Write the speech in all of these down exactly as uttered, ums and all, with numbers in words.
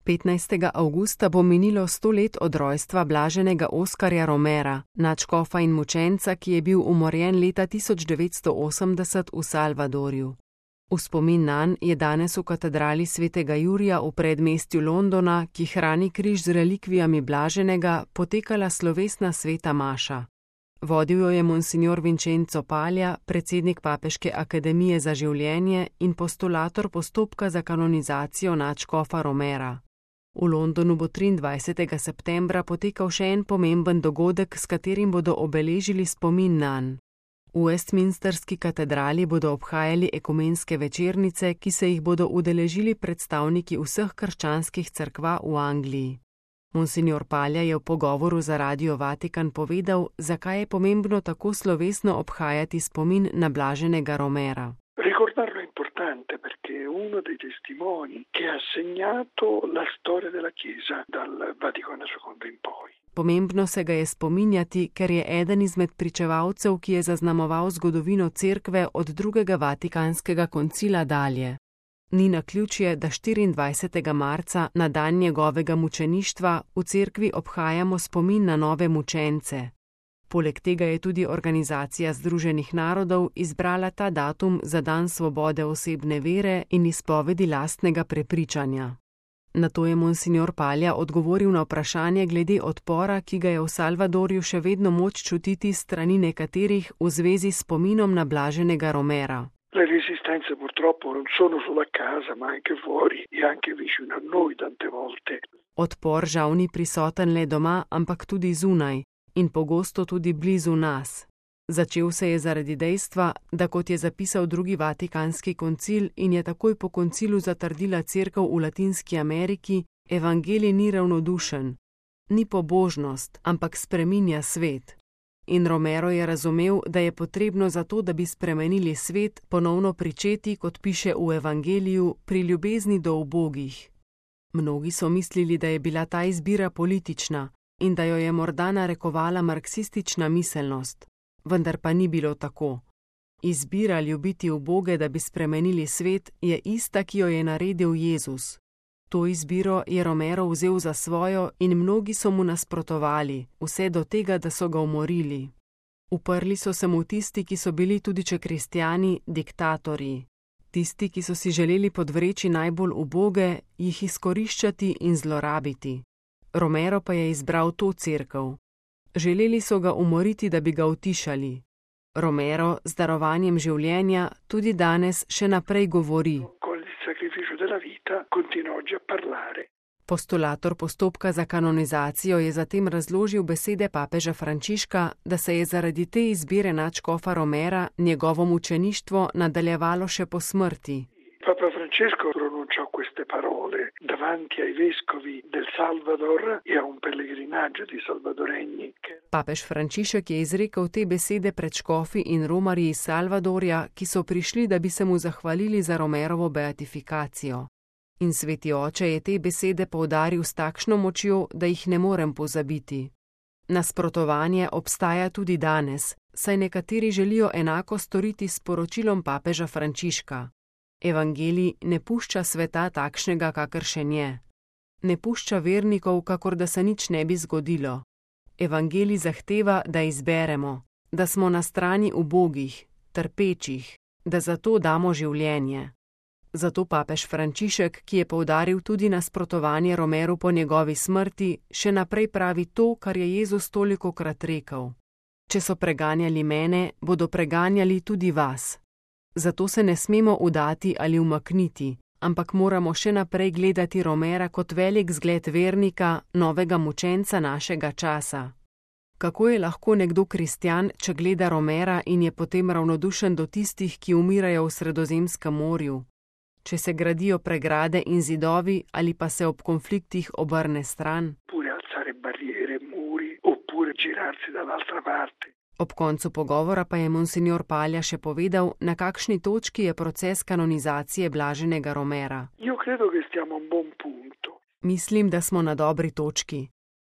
petnajstega avgusta bo minilo sto let od rojstva blaženega Oskarja Romera, nadškofa in mučenca, ki je bil umorjen leta tisoč devetsto osemdeset v Salvadorju. V spomin nanj je danes v katedrali svetega Jurija v predmestju Londona, ki hrani križ z relikvijami blaženega, potekala slovesna sveta maša. Vodil jo je monsignor Vincenzo Paglia, predsednik Papeške akademije za življenje in postulator postopka za kanonizacijo nadškofa Romera. V Londonu bo triindvajsetega septembra potekal še en pomemben dogodek, s katerim bodo obeležili spomin nanj. V Westminsterski katedrali bodo obhajali ekumenske večernice, ki se jih bodo udeležili predstavniki vseh krščanskih cerkva v Angliji. Monsignor Paglia je v pogovoru za Radio Vatikan povedal, zakaj je pomembno tako slovesno obhajati spomin na blaženega Romera. Ricordarlo è importante perché è uno dei testimoni che ha segnato la storia della Chiesa dal Vaticano secondo in poi. Pomembno se ga je spominjati, ker je eden izmed pričevalcev, ki je zaznamoval zgodovino cerkve od drugega Vatikanskega koncila dalje. Ni naključje, da štiriindvajsetega marca, na dan njegovega mučeništva, v cerkvi obhajamo spomin na nove mučence. Poleg tega je tudi Organizacija združenih narodov izbrala ta datum za dan svobode osebne vere in izpovedi lastnega prepričanja. Na to je monsignor Paglia odgovoril na vprašanje glede odpora, ki ga je v Salvadorju še vedno moč čutiti strani nekaterih v zvezi s spominom na blaženega Romera. Le resistenze purtroppo non sono solo a casa, ma anche fuori e anche vicino a noi tante volte. Odpor žal ni prisoten le doma, ampak tudi zunaj in pogosto tudi blizu nas. Začel se je zaradi dejstva, da kot je zapisal drugi Vatikanski koncil in je takoj po koncilu zatrdila cerkev v Latinski Ameriki, evangelij ni ravnodušen, ni pobožnost, ampak spreminja svet. In Romero je razumel, da je potrebno za to, da bi spremenili svet, ponovno pričeti, kot piše v evangeliju, pri ljubezni do ubogih. Mnogi so mislili, da je bila ta izbira politična in da jo je morda narekovala marksistična miselnost. Vendar pa ni bilo tako. Izbira ljubiti uboge, da bi spremenili svet, je ista, ki jo je naredil Jezus. To izbiro je Romero vzel za svojo in mnogi so mu nasprotovali, vse do tega, da so ga umorili. Uprli so se mu tisti, ki so bili tudi če kristjani, diktatorji. Tisti, ki so si želeli podvreči najbolj uboge, jih izkoriščati in zlorabiti. Romero pa je izbral to cerkev. Želeli so ga umoriti, da bi ga utišali. Romero z darovanjem življenja tudi danes še naprej govori. Postulator postopka za kanonizacijo je zatem razložil besede papeža Frančiška, da se je zaradi te izbire nadškofa Romera njegovo mučeništvo nadaljevalo še po smrti. Papa Francesco pronunciò queste parole davanti ai vescovi del Salvador e a un pellegrinaggio di salvadoregni. Papež Frančišek je izrekel te besede pred škofi in romarji iz Salvadorja, ki so prišli, da bi se mu zahvalili za Romerovo beatifikacijo. In sveti oče je te besede poudaril s takšno močjo, da jih ne morem pozabiti. Nasprotovanje obstaja tudi danes, saj nekateri želijo enako storiti s poročilom papeža Frančiška. Evangelij ne pušča sveta takšnega, kakršen je. Ne pušča vernikov, kakor da se nič ne bi zgodilo. Evangelij zahteva, da izberemo, da smo na strani ubogih, trpečih, da zato damo življenje. Zato papež Frančišek, ki je poudaril tudi nasprotovanje Romeru po njegovi smrti, še naprej pravi to, kar je Jezus tolikokrat rekel. Če so preganjali mene, bodo preganjali tudi vas. Zato se ne smemo udati ali umakniti, ampak moramo še naprej gledati Romera kot velik zgled vernika, novega mučenca našega časa. Kako je lahko nekdo kristjan, če gleda Romera in je potem ravnodušen do tistih, ki umirajo v Sredozemskem morju? Če se gradijo pregrade in zidovi ali pa se ob konfliktih obrne stran? Ob koncu pogovora pa je monsignor Paglia še povedal, na kakšni točki je proces kanonizacije blaženega Romera. Mislim, da smo na dobri točki.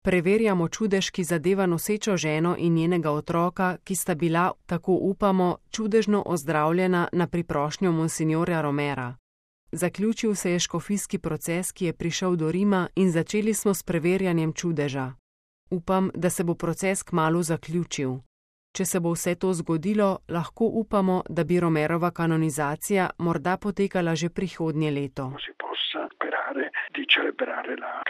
Preverjamo čudež, ki zadeva nosečo ženo in njenega otroka, ki sta bila, tako upamo, čudežno ozdravljena na priprošnjo monsignorja Romera. Zaključil se je škofijski proces, ki je prišel do Rima, in začeli smo s preverjanjem čudeža. Upam, da se bo proces kmalu zaključil. Če se bo vse to zgodilo, lahko upamo, da bi Romerova kanonizacija morda potekala že prihodnje leto. Di celebrare la